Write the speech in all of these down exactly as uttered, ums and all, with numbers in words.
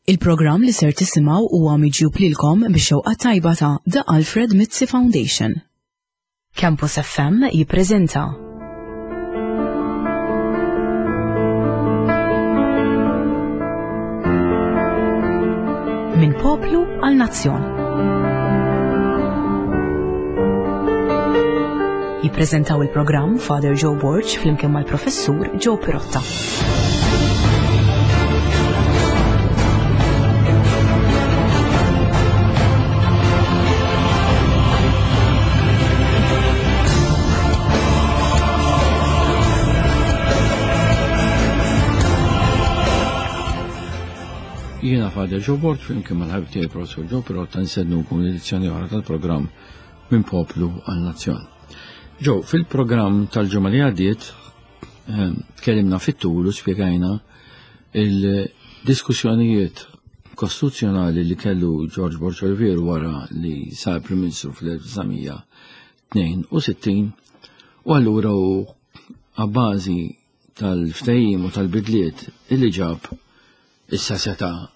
Il-programm li ser tisimgħu huwa miġjub lilkom bix-xewqa tajba ta' The Alfred Mizzi Foundation. Campus F M jippreżenta Minn Poplu għal Nazzjon. Jippreżentaw il-programm Father Joe Borg flimkien mal-Professur Joe Pirotta. Jiena Father Joe Borg flimkien mal-ħabib tiegħi Professur Joe Pirotta nsednukom l-edizzjoni oħra tal-programm Minn Poplu għal Nazzjon. Joe, fil-programm tal-ġimgħa li għaddiet, ehm, tkellimna fit-tul u spjegajna il-diskussjonijiet kostituzzjonali li kellu George Borg Olivier wara li sar Prim Ministru fl-elf disa' mija tnejn u sittin, u allura u għabbażi tal-ftehim u tal-bidliet illi ġab issa seta'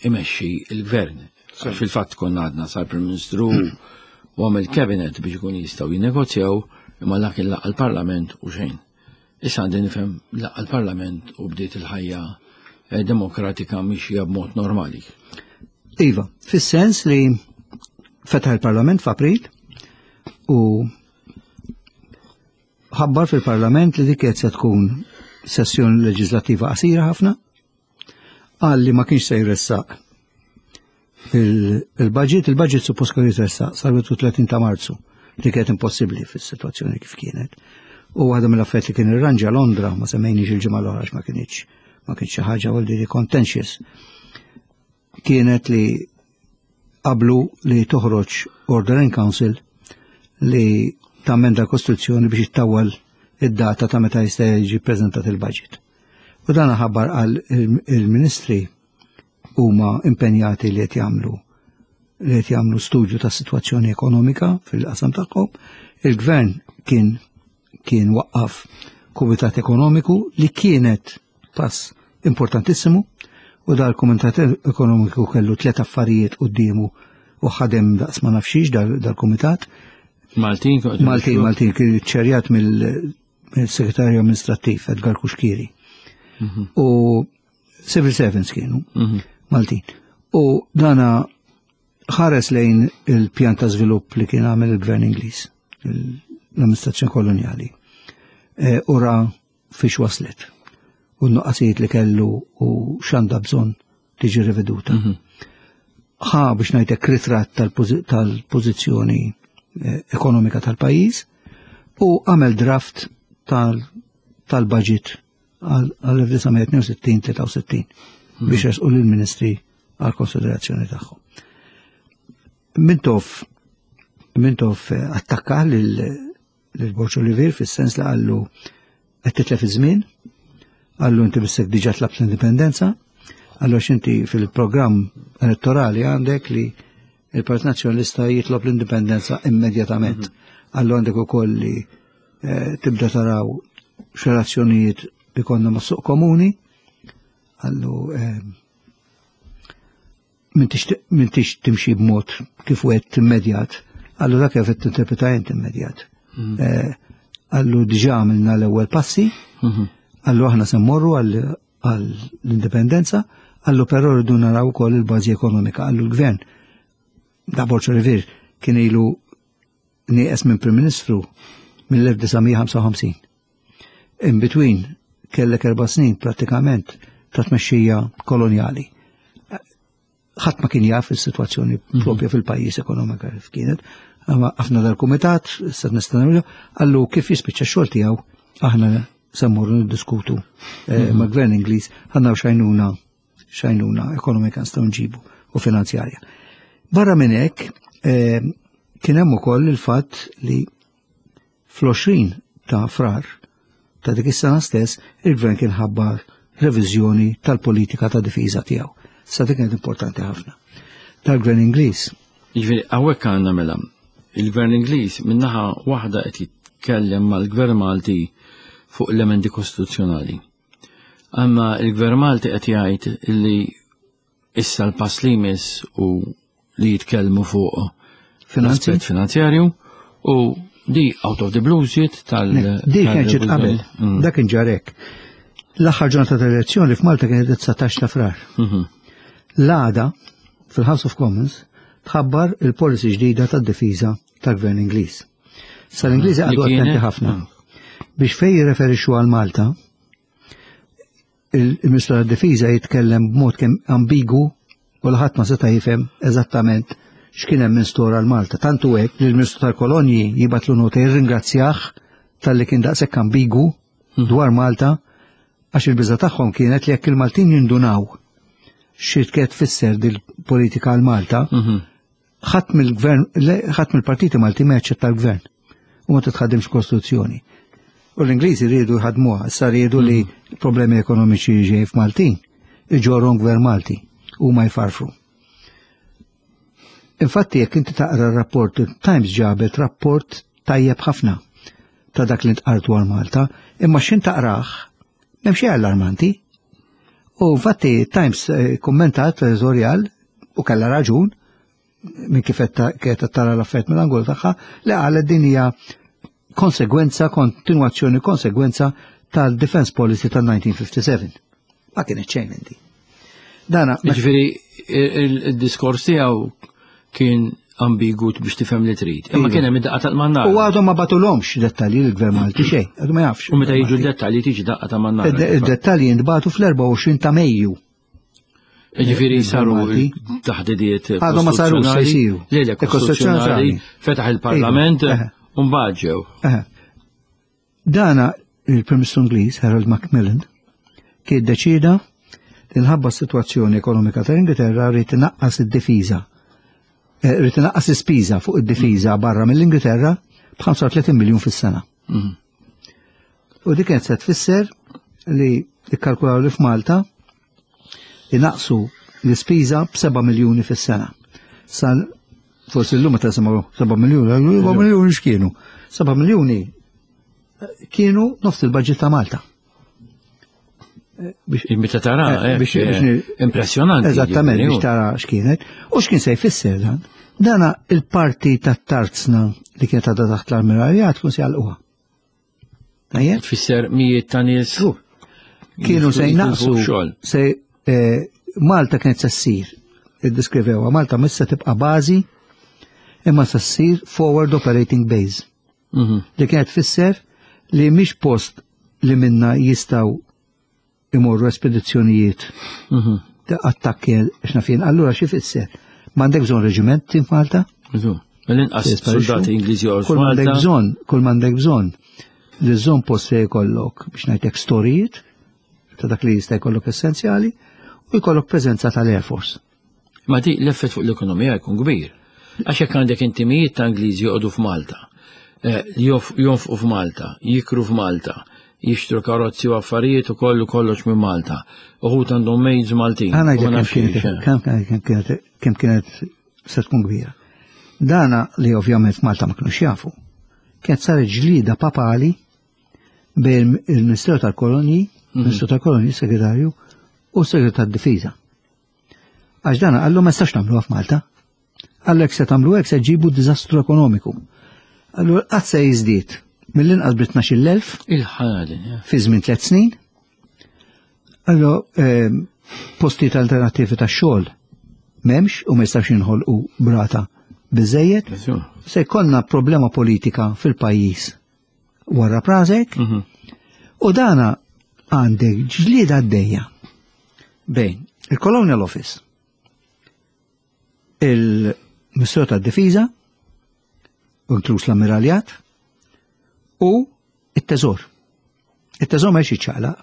imexxi il-gvern. Sì. Fil-fatt konna għadna sar Prim Ministru u għamel cabinet biex ikun jistgħu jinnegozjaw, imma dak il laqgħa l-Parlament u xejn. Issa għandi nifhem laqgħa l-Parlament u bdiet il-ħajja, eh, demokratika mixja b'mod normali. Iva, fis-sens li fetaħ il-Parlament f'April u ħabbar fil-Parlament li dik qed se tkun sessjoni leġislattiva qasira ħafna, qal li ma kienx se jressaq il-, il-budget, il-budget suppost kellu jitressaq sal wieħed u tletin ta' Marzu, li kienet impossibbli fis-sitwazzjoni kif kienet. U waħda mill-affarijiet li kien irranġa Londra, ma semmejniex il-ġimgħa l-oħra għax ma kienx, ma kienx xi ħaġa għal di contentious, kienet li qablu li toħroġ Order in Council li tammenda l-Kostituzzjoni biex ittawwal id-data ta' meta jista' jiġi ppreżentat il-budget. U dan ħabbar għal il-, il-ministri huma impenjati li qed jagħmlu, li qed jagħmlu studju ta' sitwazzjoni ekonomika fil-qasam tagħhom. Il-gvern kien, kien waqqaf kumitat ekonomiku li kienet pass importantissimu, u dal-kumitat ekonomiku kellu tliet affarijiet quddiemu u ħadem daqs ma nafxiex dal-, dal-kumitat. Maltin, kont Maltin, nixtru? Maltin, kien ċerjat mill-, mill-segretarju amministrattiv Edgar Cuschieri. Mhm. U civil servants kienu, Mhm. Maltin. U dana ħares lejn il-pjan ta' żvilupp li kien għamel il-gvern Ingliż, il-, l-amministrazzjoni kolonjali. E, ura fiex waslet. U n-nuqqasijiet li kellu u x'għandha bżonn tiġi riveduta. Mhm. Ħa biex ngħidlek ritratt tal-pozi-, tal-pożizzjoni, eh, ekonomika tal-pajjiż u għamel draft tal-, tal-budget għal, għal elf disa' mija tnejn u sittin, tlieta u sittin Mhm. biex jesqu lill-ministri għal konsiderazzjoni tagħhom. Mintoff, Mintoff, eh, attakka lil, lil Borg Olivier fis-sens li qallu qed titlef iż-żmien, qallu inti bissek diġà tlabt l-indipendenza, qallu għax inti fil-programm elettorali għandek li il-Partit Nazzjonalista jitlob l-indipendenza immedjatament. Mhm. Qallu għandek ukoll li, eh, tibda taraw x'relazzjonijiet ikonna mas-suq komuni, qallu, eh, m'intix t-, m'intix timxi b'mod kif wieħed immedjat, qallu dak kif qed tinterpreta int immedjat. Mhm. Eh, qallu diġà għamilna l-ewwel passi, Mhm. qallu aħna se mmorru għall-, għall-indipendenza, qallu però rridu naraw ukoll il-bażi ekonomika, qallu l-gvern. Da Borg Olivier kien ilu nieqes minn Prim Ministru mill-elf disa' mija ħamsa u ħamsin. In between kellek erba' snin prattikament ta' tmexxija kolonjali. Ħadd ma kien jaf is-sitwazzjoni Mhm. propja fil-pajjiż ekonomika kif kienet. Imma ħafna dal-kumitat, issa nista' nagħmlu, qallu kif jispiċċa x-xogħol tiegħu aħna se mmorru niddiskutu, eh, Mhm. ma' gvern Ingliż ħanna xajnuna, xajnuna ekonomika nistgħu nġibu u finanzjarja. Barra minn hekk, eh, kien hemm ukoll il-fatt li fl-għoxrin ta' Frar ta' dik is-sena stess il-gvern kien ħabbar reviżjoni tal-politika ta' difiża tiegħu. Sa dik kienet importanti ħafna. Tal-gvern Ingliż. Jiġifieri hawnhekk għandna mela il-gvern Ingliż minnaħa waħda qed jitkellem mal-gvern Malti fuq l-emendi kostituzzjonali. Amma il-gvern Malti qed jgħid illi Issa l-pass li jmiss u li jitkellmu fuq Finanzi? l-aspett finanzjarju u di out of the blue ġiet tal. Di kien ġiet qabel, Mm. dak kien ġarek. L-aħħar ġurnata tal-elezzjoni f'Malta kienet dsatax ta' Frar. Mhm. L-għada, fil-House of Commons, tħabbar il-policy ġdida tad-difiża tal-Gvern Ingliż. Sa l-Ingliżi Li għadu attenti kienet? ħafna. Mm. Biex fej jirreferixxu għal Malta, il-Ministru tad-Difiża jitkellem b'mod kemm ambigu u l-ħadd ma seta' jifhem eżattament x'kien hemm in store għal Malta. Tantu hekk li l-Ministru tal-Kolonji jibgħatlu nota jirringrazzjah talli kien daqshekk ambigu dwar Malta, għax il-biża tagħhom kienet li jekk il-Maltin jindunaw xi kienet tfisser dil-politika għal Malta, Mhm. ħadd mill-gvern, ħadd mill-partiti Malti ma jaċċetta l-gvern u ma titħaddimx kostituzzjoni. U l-Ingliżi riedu jħadmuha, issa riedu li problemi ekonomiċi ġej f'Maltin, iġorhom gvern Malti u ma jfarfru. Infatti, jekk inti taqra r-rapport, Times ġabet rapport tajjeb ħafna ta' dak li ntqal dwar Malta, imma x'ħin taqrah, m'hemm xejn allarmanti. U infatti Times eh, kommentat editorial u kellha raġun minn kif qed tara l-affarijiet mill-angolu tagħha, li qalet din hija konsegwenza, kontinwazzjoni, konsegwenza tal-Defense Policy tal-elf disa' mija u ħamsa u sebgħin. Ma kienet xejn inti. Dana, Ġifieri il-diskors tiegħu kien ambigu biex tifhem li trid. Imma Iva. kien hemm id-daqqa tal-mannar. U għadhom ma bagħtulhomx dettalji l-Gvern Malti xejn, għadu ma jafx. U meta jiġu d-dettalji tiġi daqqa ta' mannar. Id-dettalji jintbagħtu fl-erbgħa u għoxrin ta' Mejju. Ġifieri saru Malti. taħdidiet Għadhom ma sarux, se jsiru. Le, le, kostituzzjonali, fetaħ il-Parlament Iva, eħe. u mbagħad ġew. Eħe. Dana il-Prim Ministru Ingliż Harold Macmillan kien deċida li nħabba s-sitwazzjoni ekonomika tal-Ingilterra rrid inaqqas id-difiża. Eh, Rrid inaqqas l-ispiża fuq id-difiża barra mill-Ingilterra b'ħamsa u tletin miljun fis-sena. Mhm. U dik kienet se tfisser li ikkalkulaw li f'Malta inaqsu l-ispiża b'seba' miljuni fis-sena. Sal forsi llum meta nisimgħu seba' miljuni, seba' miljuni x'kienu? seba' miljuni eh, kienu nofs il-budget ta' Malta. Eh, Biex Meta tara, Eh, eh, biex- eh, biex ni- impressjonanti. Eżattament, ġifieri, biex tara x'kienet. U x'kien se jfisser dan? Dana il-parti tat-tarzna li kienet għadha taħt l-ammiraljat tkun se jagħlquha. Tajjeb? Tfisser mijiet ta' nies. Kienu se jnaqsu xogħol. se eh, Malta kienet se ssir, iddiskrivewha, Malta mhux se tibqa' bażi imma se ssir forward operating base, Mhm. li kienet tfisser li mhix post li minna jistgħu imorru espedizzjonijiet Mhm. ta' attakki x'nafien. Allura xi fisser? M'għandek bżonn reġiment f'Malta? Iżu. Mill-inqas Jisparixxu. soldati Ingliżi joqgħdu Kull m'għandek f'Malta. bżonn, kull m'għandek bżonn li żżomm post se jkollok biex ngħidlek storijiet ta' dak li jista' jkollok essenzjali u jkollok preżenza tal-Air Force. Ma di l-effett fuq l-ekonomija jkun kbir. Għax jekk għandek inti mijiet ta' Ingliżi joqogħdu f'Malta, eh, jof- jonfqu f'Malta, jikru f'Malta, jixtru karozzi u affarijiet u kollu kollox minn Malta. Uħud għandhom maids Maltin. Ħa u ma ngħidlek kemm nafx kienet xiex, eh. kemm kemm kienet kemm kienet se tkun kbira. Dana li ovvjament Malta ma kinux jafu. Kienet saret ġlida papali bejn il-Ministeru tal-Kolonji, Ministru tal-Kolonji, Segretarju, u Segretarju tad-Difiża. Għax dana qallu ma nistax nagħmluha f'Malta. Qallu jekk se tagħmlu hekk se ġibu diżastru ekonomiku. Allura qatt se jiżdied mill-inqas bi tnax-il elf Il-ħalin, eh. fi żmien tliet snin. Allora, ehm, postijiet alternattivi ta' xogħol m'hemmx u ma jistax jinħolqu brata biżejjed. Iżu. Se jkollna problema politika fil-pajjiż wara prazek Mhm. u dana għandek ġlieda għaddejja bejn il-Colonial Office, il-Ministru tad-Difiża, inkluż l-Ammiraljat, u it-Teżor. Il-Teżor ma jiċċaqlaq.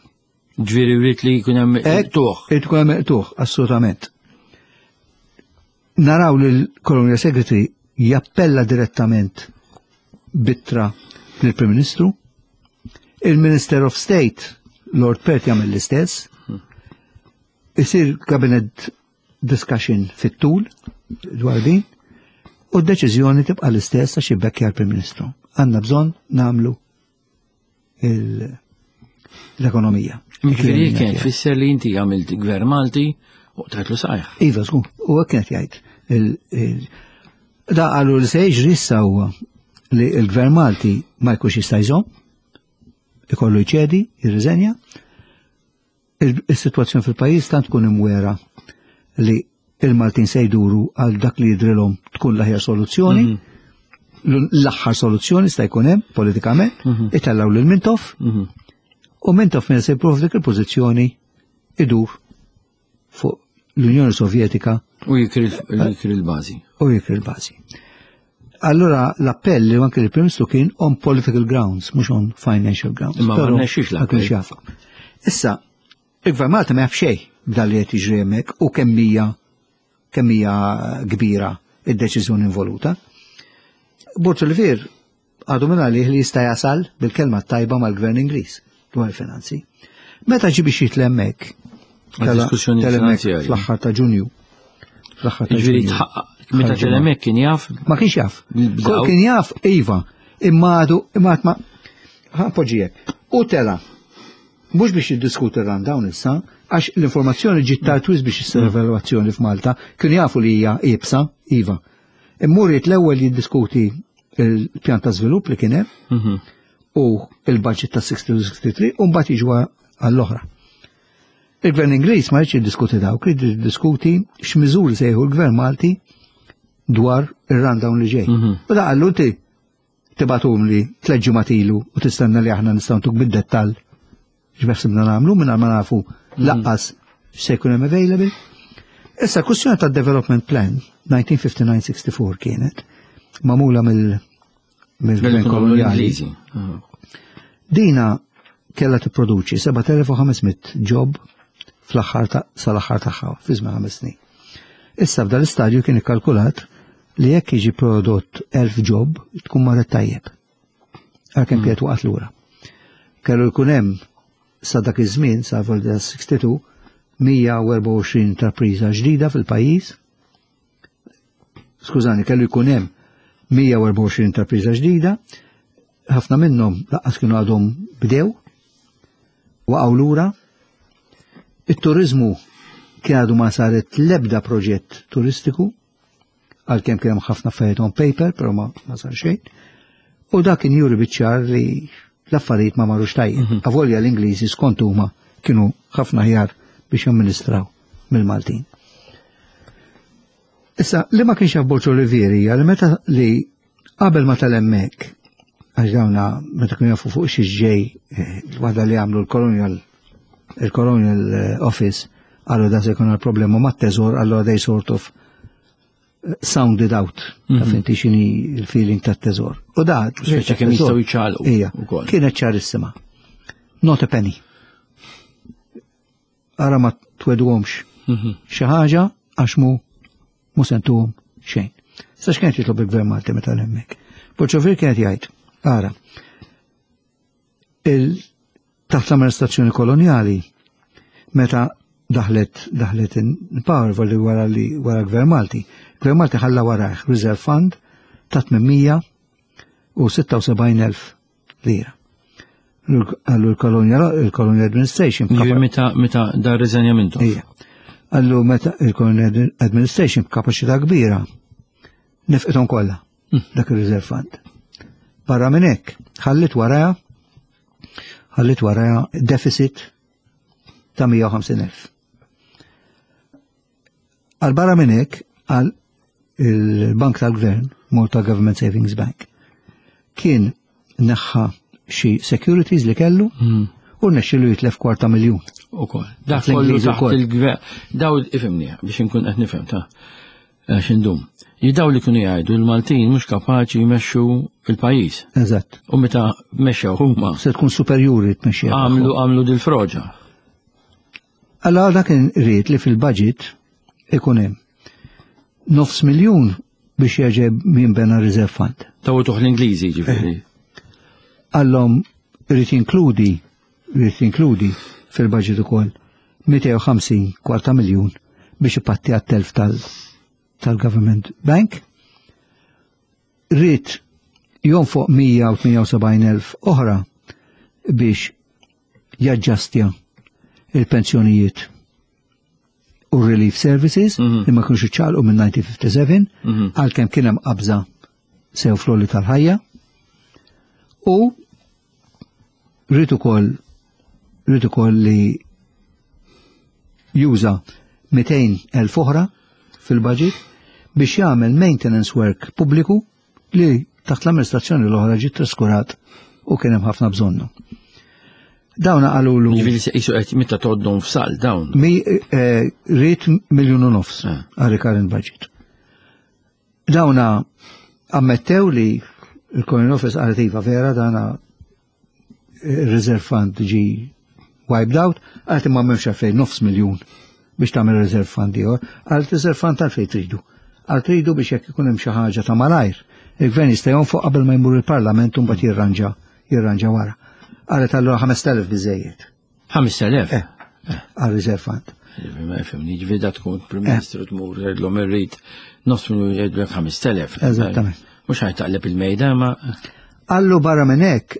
Ġifieri rrid li jkun hemm Ek, tuħ. Irid ikun hemm tuħ, assolutament. Naraw li l-Colonial Secretary jappella direttament b'ittra lill-Prim Ministru, il-Minister of State, Lord Perth, jagħmel l-istess, isir cabinet discussion fit-tul dwar din, u d-deċiżjoni tibqa' l-istess għax jibbekkja l-Prim Ministru. Għandna bżonn nagħmlu il- l-ekonomija. Ġifieri kien tfisser li inti għamilt gvern Malti U tajtlu sajħ. Iva, żgur, u hekk kienet jgħid. Il- il- Da qalu li se jiġri issa huwa li l-Gvern Malti ma jkunx jista' jżomm, ikollu jċedi, jirriżenja. Il- Is-sitwazzjoni fil-pajjiż tant tkun imwera li il-Maltin se jduru għal dak li jidrilhom tkun l-aħjar soluzzjoni, l- l-aħħar soluzzjoni sta jkun hemm politikament, itellgħu lil Mintoff, u Mintoff minn se jipprova dik il-pożizzjoni idur fuq l-Unjoni Sovjetika U jikri jikri l-bażi. u jikri l-bażi. Allora l-appell li anke il-Prim Ministru kien on political grounds, mhux on financial grounds. Imma ma Però rnexxiex ma l-appell. kienx jafa. Issa, il-Gvern Malta ma jaf xejn b'dan li qed jiġri hemmhekk u kemm hija kemm hija kbira id-deċiżjoni involuta. Borg Olivier għadu minn għalih li jista' jasal bil-kelma tajba mal-Gvern Ingliż dwar il-finanzi. Meta ġi biex jitlaq hemmhekk, Għal diskussjoni tela' hemmhekk finanzjarji. fl-aħħar ta' Ġunju. Fl-aħħar ta' Ġifieri Ġunju. tħaqqaq, meta Ħarġu tela' hemmhekk kien jaf Ma kienx jaf. Bdaw. Kien jaf, iva, imma għadu, imma għad ma, ħa poġġijek. U tela, mhux biex jiddiskuti r-rundown issa, għax l-informazzjoni ġiet tard wisq biex issir evalwazzjoni f'Malta, kienu jafu li hija iebsa, iva. Immur l-ewwel jiddiskuti il-pjan ta' żvilupp li kien hemm Mhm. u il-budget ta' sixty-two sixty-three u mbagħad jiġu għall-oħra. Il-Gvern Ingliż ma jridx jiddiskuti dawk, jrid jiddiskuti x'miżuri se jieħu l-Gvern Malti dwar ir-rundown li ġej. Mhm. U da qallu inti tibgħathom li tliet ġimgħat ilu u tistenna li aħna nistgħu ntuk bid-dettall x'beħsibna nagħmlu minn ma nafu lanqas x'se jkun hemm available. Issa kwestjoni ta' development plan elf disa' mija ħamsa u disgħin sessja u erbgħa kienet magħmula mill mill-gvern koloniali. Ingliżi. Ah. Dina kella tipproduċi seba' telef u ħames mitt job fl-aħħar ta' sal-aħħar tagħha fi żmien ħames snin. Issa f'dal istadju kien ikkalkulat li jekk jiġi prodott elf job tkun marret tajjeb. Għalkemm kienet waqgħet lura. Kellu jkun hemm sa dak iż-żmien sa volta sitta u sittin mija u erbgħa u għoxrin intrapriża ġdida fil-pajjiż. Skużani, kellu jkun hemm mija u erbgħa u għoxrin intrapriża ġdida, ħafna minnhom lanqas kienu għadhom bdew, waqgħu lura. It-turizmu kien għadu ma saret l-ebda proġett turistiku, għalkemm kien hemm ħafna affarijiet on paper, però ma, ma sar xejn. U dak kien juri biċ-ċar li l-affarijiet ma marrux tajjeb. Avolja l-Ingliżi skont huma kienu ħafna aħjar biex jamministraw mill-Maltin. Issa, li ma kienx jaf Borg Olivier hija li meta li qabel ma tela' hemmhekk, għax dawna meta kienu jafu fuq xi ġej, eh, l-waħda li għamlu l-Colonial il-Colonial eh, Office, għallu da se jkun għal problema ma' teżor, allura they sort of eh, sounded out, taf inti x'inhi il-feeling ta' teżor. U da, Speċi kemm jistgħu jiċċaqalqu Ija, ukoll. kienet ċarissima. Not a penny. Ara ma twegħduhomx Mhm. xi ħaġa għax mu mu se ntuhom xejn. Sa x'kienet jitlob il-Gvern Malti meta hemmhekk? Borg Olivier kienet jgħid, ara, il taħt l-amministrazzjoni koloniali meta daħlet daħlet in power volli wara li wara Gvern Malti. Gvern Malti ħalla warajh Reserve Fund ta' tmien mija u sitta u sebgħin elf lira. Għallu il-Colonial il-Colonial Administration Ġifieri meta meta da rriżenja Mintoff. Ija. Għallu meta il-Colonial Administration b'kapaċità kbira nefqithom kollha dak il-Reserve Fund. Barra minn hekk, ħallit waraja ħallit waraja deficit ta' mija u ħamsin elf. Għal barra minn hekk, għal il-Bank tal-Gvern, Malta Government Savings Bank, kien neħħa xi securities li kellu u rnexxielu jitlef kwarta miljun. Ukoll. Dak kollu L-Ingliżi taħt wkoll. il-gvern. Daw ifhimni biex inkun qed nifhem ta' għax indum. Jidaw li kienu jgħidu l-Maltin mhux kapaċi jmexxu il-pajjiż. Eżatt. U meta mexxew huma Se tkun superjuri tmexxija. għamlu għamlu dil-froġa. Allora dak kien ried li fil-budget ikun hemm nofs miljun biex jerġa' jinbena reserve fund. Taw tuħ l-Ingliżi ġifieri. Għallhom irid jinkludi irid jinkludi fil-budget ukoll mitejn u ħamsin kwarta miljun biex ipatti għat-telf tal tal-Government Bank. Ried jonfoq mija u tmienja u sebgħin elf oħra biex jaġġastja il-pensjonijiet u Relief Services li ma kienux iċċaqalqu minn elf disa' mija u seba' u ħamsin għalkemm kien hemm qabża sew fl-għoli tal-ħajja u rrid ukoll rrid ukoll li juża mitejn elf oħra fil-budget biex jagħmel maintenance work pubbliku li taħt l-amministrazzjoni l-oħra ġiet traskurat u kien hemm ħafna bżonnu. Dawna qalulu Ġifieri qisu qed meta tgħoddhom f'sal dawn. Mi eh, ried miljun u nofs Eh. għal recurrent budget. Dawna ammettew li il-Colonial Office qalet iva vera, dana il-reserve fund ġi wiped out, qalet imma m'hemmx għalfejn nofs miljun biex tagħmel reserve fund ieħor, qalet reserve fund għalfejn tridu. Qalet tridu biex jekk ikun hemm xi ħaġa ta' malajr. Il-gvern jista' jonfoq qabel ma jmur il-Parlament u mbagħad jirranġa jirranġa wara. Qalet allura ħamest elef biżejjed ħamest elef. Eh, għal reserve fund. Ġifieri ma jifhimni, ġifieri da tkun Prim Ministru tmur jgħidlhom irrid nofs miljun, jgħidlek ħamest elef. Eżattament. Mhux ħa jtaqleb il-mejda ma Allu barra minn hekk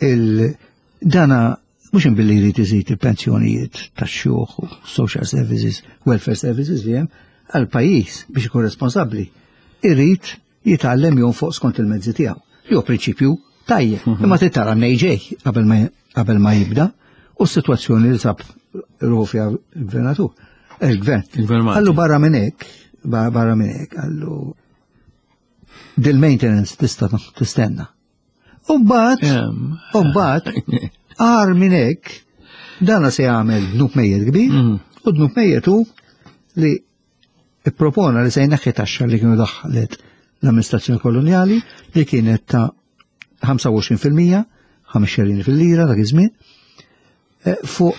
il-dana mhux imbilli jrid iżid il-pensjonijiet tax-xjuħ u social services, welfare services li hemm għal pajjiż biex ikun responsabbli. Irid jitgħallem jonfoq skont il-mezzi tiegħu. Li hu prinċipju tajjeb, imma trid tara ġej qabel ma qabel ma jibda u s-sitwazzjoni li sab ruħu fiha il-gvernatur. Il-gvern. Il-gvern Malti. Allu barra minn hekk, ba- barra minn hekk, allu dil-maintenance tista' tistenna. U mbagħad, Em. u mbagħad, agħar minn hekk, dana se jagħmel dnub mejjet kbir, Mhm. u dnub mejjet hu li ippropona li se jneħħi taxxa li kienu daħlet l-amministrazzjoni koloniali li kienet ta' ħamsa u għoxrin fil-mija, ħames xerini fil-lira dak iż-żmien, eh, fuq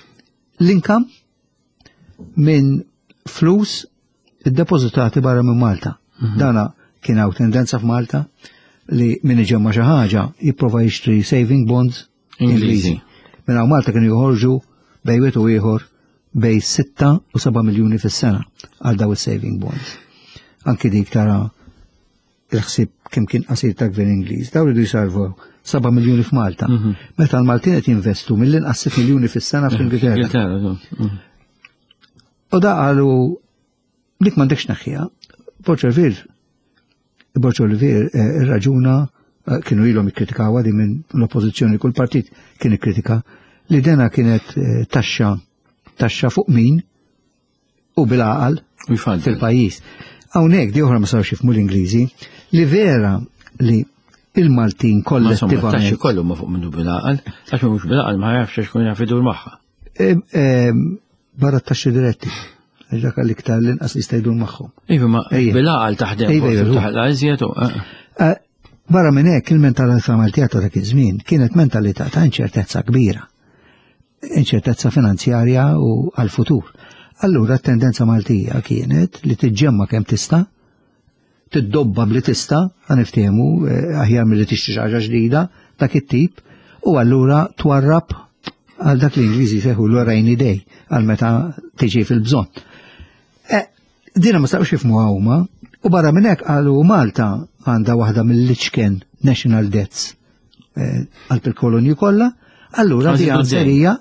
l-income minn flus iddepozitati barra minn Malta. Dana kien hawn tendenza f'Malta li min iġemma xi ħaġa jipprova jixtri saving bonds Ingliżi. Minn hawn Malta kienu joħorġu bejn wieħed u ieħor bejn sitta u seba' miljuni fis-sena għal daw is-saving bonds. Anki dik tara il-ħsieb kemm kien qasir ta' gvern Ingliż. Daw ridu jsalvu seba' miljuni f'Malta. Meta l-Maltin qed jinvestu mill-inqas sitt miljuni fis-sena fl-Ingilterra. Ingilterra, so. Mhm. U da qalu dik m'għandekx tneħħiha. Borg Olivier, Borg Olivier eh, irraġuna eh, kienu ilhom ikkritikaw di minn l-oppożizzjoni, kull partit kien ikkritika li dena kienet eh, taxxa taxxa fuq min u bil-għaqal U jfaddi. fil-pajjiż. Hawnhekk di oħra ma sarux jifhmu l-Ingliżi li vera li il-Maltin Ma insomma, taxxi kollettivament kollu ma fuq minnu bil-għaqal, għax mhux bil-għaqal ma jafx għax kun jaf idur magħha. Eh, eh, barra t-taxxi diretti. Għax dak l-iktar l-inqas li jista' jdur magħhom. Iva, ma Ejja. bil-għaqal taħdem Ejja, forsi ejja, taħla iżjed u. eh. Eh, Barra minn hekk il-mentalità Maltija ta' dak iż-żmien kienet mentalità ta' inċertezza kbira. Inċertezza finanzjarja u għal-futur. Allura t-tendenza Maltija kienet li tiġġemma kemm tista', tiddobba bli tista', ħa niftehmu eh, aħjar milli tixtri xi ħaġa ġdida dak it-tip, u allura twarrab għal dak li Ingliżi jsejħu l rainy day, għal meta tiġi fil-bżonn. Eh, dina ma stawx jifhmu huma, u barra minn hekk qalu Malta għandha waħda mill-iċken national debts eh, għal il-kolonji kollha, allura Għażilu di d-dejn. għanserija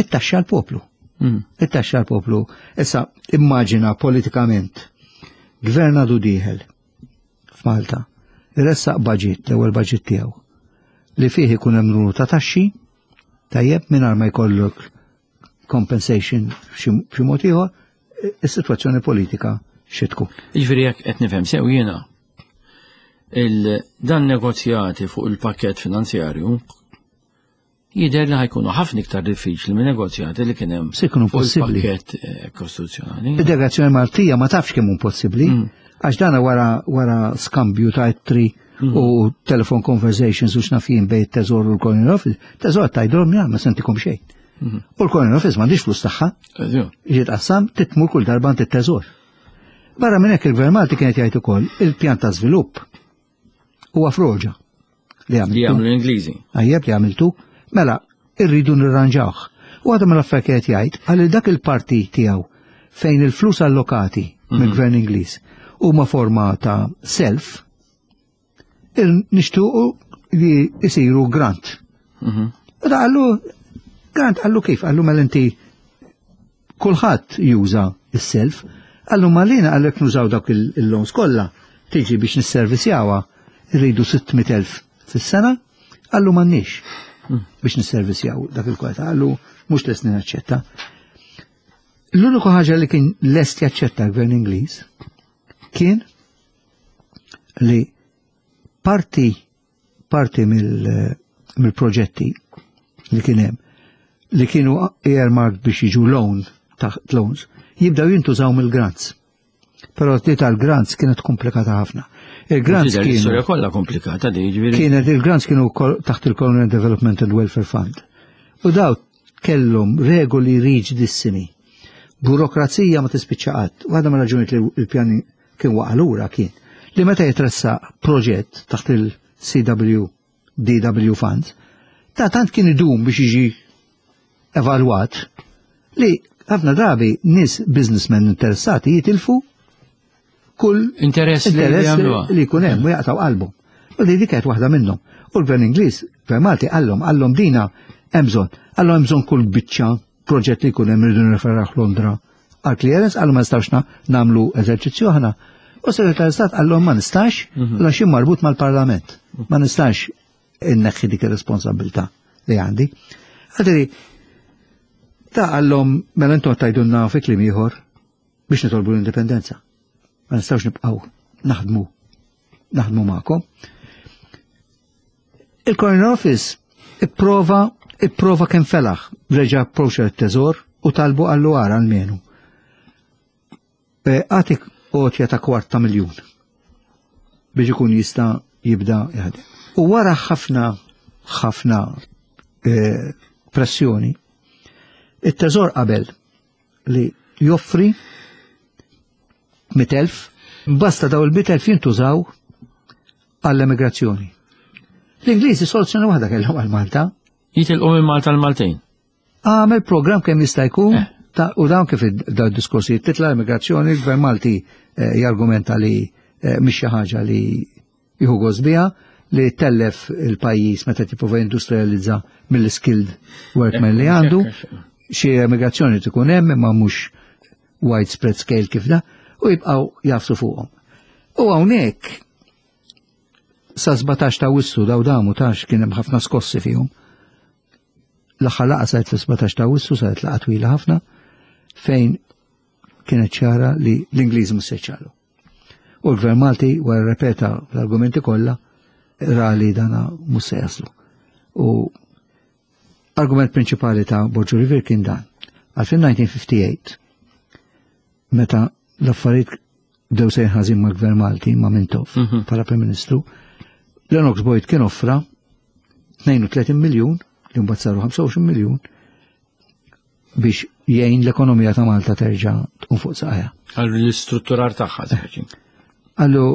it-taxxa l-poplu. Mm. It-taxxa l-poplu. Issa, immaġina politikament, gvern għadu dieħel f'Malta, iressaq budget, l-ewwel budget tiegħu, li fih ikun hemm numru ta' taxxi, tajjeb mingħajr ma jkollok compensation xi xi mod ieħor, is-sitwazzjoni politika xi tkun. Jiġifieri jekk qed nifhem sew jiena il dan negozjati fuq il-pakket finanzjarju jidher li ħa jkunu ħafna iktar diffiċli minn negozjati li kien hemm Se jkunu fuq possibbli. il-pakket eh, kostituzzjonali. Id-delegazzjoni Maltija ma tafx kemm hu possibbli, Mm. għax dana wara wara skambju ta' ittri u telephone conversations u x'naf jien bejn teżor u l-Colonial Office, teżor tgħidulhom ja ma se ntikom xejn. U l-Colonial Office m'għandix flus tagħha, Eżju. ġiet qassam titmur kull darba għand it-teżor. Barra minn hekk il-Gvern Malti kienet jgħid ukoll il-pjan ta' żvilupp huwa froġa li Li għamiltu. jagħmlu l-Ingliżi. Għajjeb li għamiltu, mela irridu nirranġawh. U għadha mill-affarijiet qed jgħid għal dak il-parti tiegħu fejn il-flus allokati mill-Gvern Ingliż huma forma ta' self, nixtuqu li jisiru grant. Mhm. U da qallu, grant qallu kif? Qallu mela inti Kulħadd juża s-self, qallu malina għalhekk nużaw dawk il-loans kollha tiġi biex nisservisjawha irridu sitt mitt elf fis-sena, qallu m'għandniex biex nisservisjaw dak il-kwalità, qallu mhux lest naċċetta. L-uniku ħaġa li kien lest jaċċetta l-gvern Ingliż kien li parti parti mill-proġetti li kien hemm li kienu earmarked biex jiġu loan taħt loans jibdaw jintużaw mill-grants. Però t tal-grants kienet komplikata ħafna. Il-grants kienu. Istorja kollha komplikata di, ġifieri. Kienet il-grants kienu taħt il-Colonial Development and Welfare Fund. U daw kellhom regoli riġidissimi. Burokrazija ma tispiċċa qatt. U għadha ma raġunijiet li l-pjani kien waqa' lura kien li meta jitressaq proġett taħt il-C W D W Fund, ta' tant kien idum biex jiġi evalwat li ħafna drabi nies businessmen interessati jitilfu kull interess li interess jagħmluha. li jkun hemm u jaqtaw qalbhom. U li dik kienet waħda minnhom. U l-gvern Ingliż, gvern Malti, qallhom, qallhom dina hemm bżonn. Qallhom hemm bżonn kull biċċa proġett li jkun hemm irridu nirreferaw Londra għal clearance, qallhom ma nistgħux na-, nagħmlu eżerċizzju aħna. U segretarju tal-Istat qallhom ma nistax, Mhm. għax jien marbut mal-Parlament. Ma nistax inneħħi dik ir-responsabilità li għandi. Għadri, ta' qallhom mela intom tajdunna fi kliem ieħor biex nitolbu l-indipendenza. Ma nistgħux nibqgħu naħdmu, naħdmu magħkom. Il-Colonial Office ipprova, ipprova kemm felaħ, reġa' approċċa t-teżor u talbu għallu għara almenu. E, għatik għotja ta' kwart ta' miljun biex ikun jista' jibda jaħdem. U wara ħafna, ħafna, e, pressjoni, it-teżor qabel li joffri mitt elf, basta daw il-mitt elf jintużaw għall-emigrazzjoni. L-Ingliżi soluzzjoni waħda kellhom għal Malta. Jitilqu minn Malta l-Maltin. Għamel program kemm jista' jkun Eh. ta' u dawn kif id-, dawn id-diskorsi titla' l-immigrazzjoni, il-Gvern Malti, eh, jargumenta li, eh, mhix xi ħaġa li jieħu gost biha, li tellef il-pajjiż meta tipprova industrializza mill-skilled workmen li għandu. Xi emigrazzjoni tkun hemm imma mhux widespread scale kif da, u jibqgħu jafsu fuqhom. U hawnhekk sa sbatax ta' Awwissu daw damu tax kien hemm ħafna skossi fihom. L-aħħar laqgħa saret fis-sbatax ta' Awwissu, saret laqgħa twila ħafna, fejn kienet ċara li l-Ingliżi mhux se jċalu. U l-Gvern Malti wara repeta l-argumenti kollha ra li dana mhux se jaslu. U argument prinċipali ta' Borg Olivier kien dan. Għal fin-nineteen fifty-eight, meta l-affarijiet bdew sejrin ħażin mal-Gvern Malti, ma' Mintoff, Mhm. bħala Prim Ministru, Lennox Boyd kien offra tnejn u tletin miljun, li mbagħad saru ħamsa u għoxrin miljun, biex jgħin l-ekonomija ta' Malta terġa' tqum fuq saqajha. Għal l-istrutturar tagħha, speċi. Allu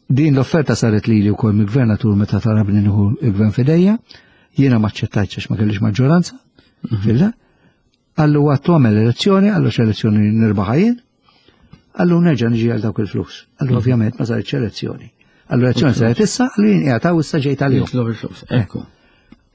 din l-offerta saret lili wkoll mill-gvernatur meta talabni nieħu l-gvern fidejja, jiena ma aċċettajtx għax ma kellix maġġoranza, Mhm. filla. Allu għattu għamel elezzjoni, għallu x'elezzjoni nirbaħ jien, għallu nerġa' niġi għal dawk il-flus. Għallu Mhm. ovvjament ma saritx elezzjoni. Għallu elezzjoni saret issa, għallu jien qiegħed hawn issa ġejt għalihom. Jitlob il-flus, ekku.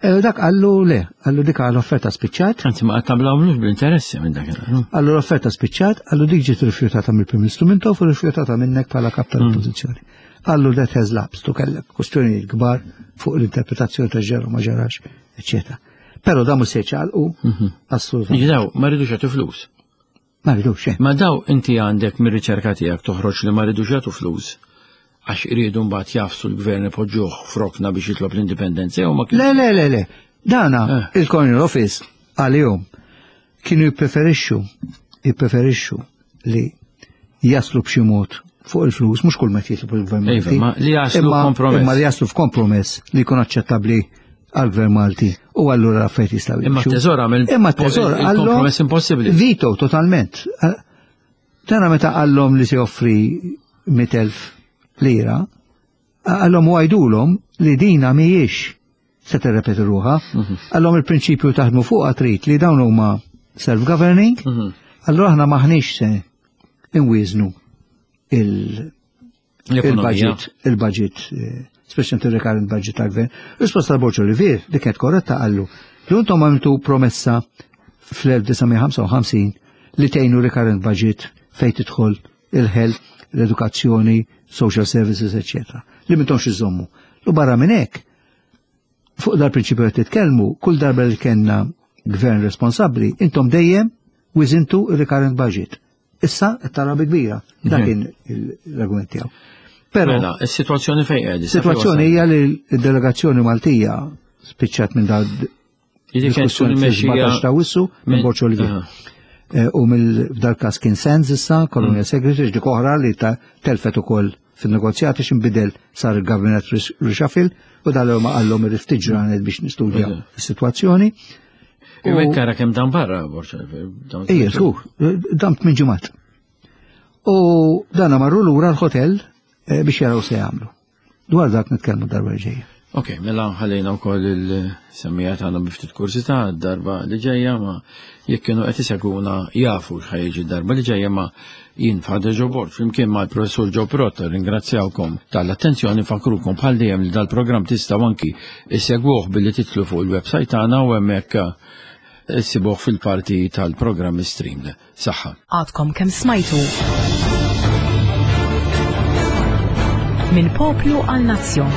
E, dak għallu le, għallu dik għal offerta spiċċat. Anzi, ma għattablaw bl-interessi minn dak il-ħin. Għallu l-offerta spiċċat, għallu dik ġiet rifjutata mill-Prim Ministru Mintoff u rifjutata minnek bħala kap tal-Oppożizzjoni. Għallu that has lapsed, u kellek kwestjonijiet kbar fuq l-interpretazzjoni ta' ġara ma ġarax, eccetera. Però da mhux se jċaqalqu, Mhm. assolutament. Jiġi daw, ma rridux jagħtu flus. Ma rridux, xejn. Ma daw inti għandek mir-riċerka tiegħek toħroġ li ma rridux jagħtu flus għax iridu mbagħad jafsu l-gvern ipoġġuh frokna biex jitlob l-indipendenza jew ma kien- Le, le, le, le. Dana, Eh. il-Colonial Office għalihom kienu jippreferixxu, jippreferixxu li jaslu b'xi mod fuq il-flus, mhux kull meta jitlob il-gvern Iva, Malti. ma li jaslu Imma- kompromess. Imma li jaslu f'kompromess li jkun aċċettabbli għall-gvern Malti u allura l-affarijiet jistgħu Imma jimxu. t-teżor għamel Imma t-teżor il- għallhom il-kompromess impossibbli. Vito, totalment. Tana meta għallhom li se joffri mitt elf lira, għallhom u għajdulhom li dina mhijiex se tirrepeti ruħha. Mhm. Għallhom il-prinċipju taħdmu fuqha trid li dawn huma self-governing, Mhm. allura aħna maħniex se inwieżnu il- L-ekonomija. il-budget, il-budget, eh, speċjalment il-recurrent budget tal-gvern. Risposta tal-Borg Olivier, li kienet korretta, qallu li intom għamiltu promessa fl-elf disa' mija ħamsa u ħamsin li tgħinu recurrent budget fejn tidħol il-health, l-edukazzjoni, social services, eccetera. Li m'intomx iżommu. U barra minn hekk, fuq dal-prinċipju qed titkellmu, kull darba li kellna gvern responsabbli, intom dejjem wiżintu il-recurrent budget. Issa qed tara bi kbira. Dak kien l-argument tiegħu. Però Mela, is-sitwazzjoni fejn qiegħed? Situazzjoni hija li l-delegazzjoni Maltija spiċċat minn dal diskussjoni fil-sbatax ta' Awwissu minn Borg Olivier. Eh, U mill-dal każ kien Sands issa, Colonial Secretary, dik oħra li ta' telfet ukoll fin-negozjati x'inbidel, sar il-Cabinet reshuffle u dal ma qallhom irrid ftit ġranet biex nistudja s-sitwazzjoni. U hekk ara kemm dan barra Borg Olivier. Ejja, żgur, dam tmien ġimgħat. U dana marru lura l-hotel eh, biex jaraw se jagħmlu. Dwar dak nitkellmu darba ġejja. Ok, mela ħallejna wkoll il-semmija tagħna bi ftit kursità darba li ġejja, ma jekk kienu qed isegwuna jafu x'ħa jiġi darba li ġejja. Ma jien Father Joe Borg flimkien mal-Professur Joe Pirotta ringrazzjawkom tal-attenzjoni. Fakrukom bħal dejjem li dal-programm tistgħu anki issegwuh billi titlu fuq il-website tagħna u hemmhekk issibuh fil-parti tal-programm stream. Saħħa. Għadkom kemm smajtu Minn Poplu għal Nazzjon.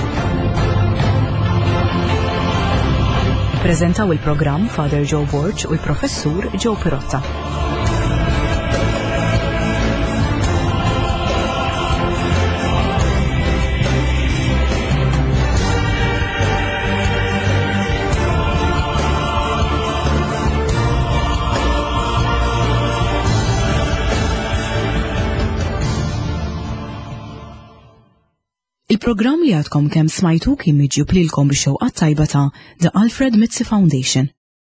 Prezentaw il-programm Father Joe Borg u l-Professur Joe Pirotta. Il-programm li għadkom kemm smajtu kien miġjub lilkom bix-xewqa tajba ta' The Alfred Mizzi Foundation.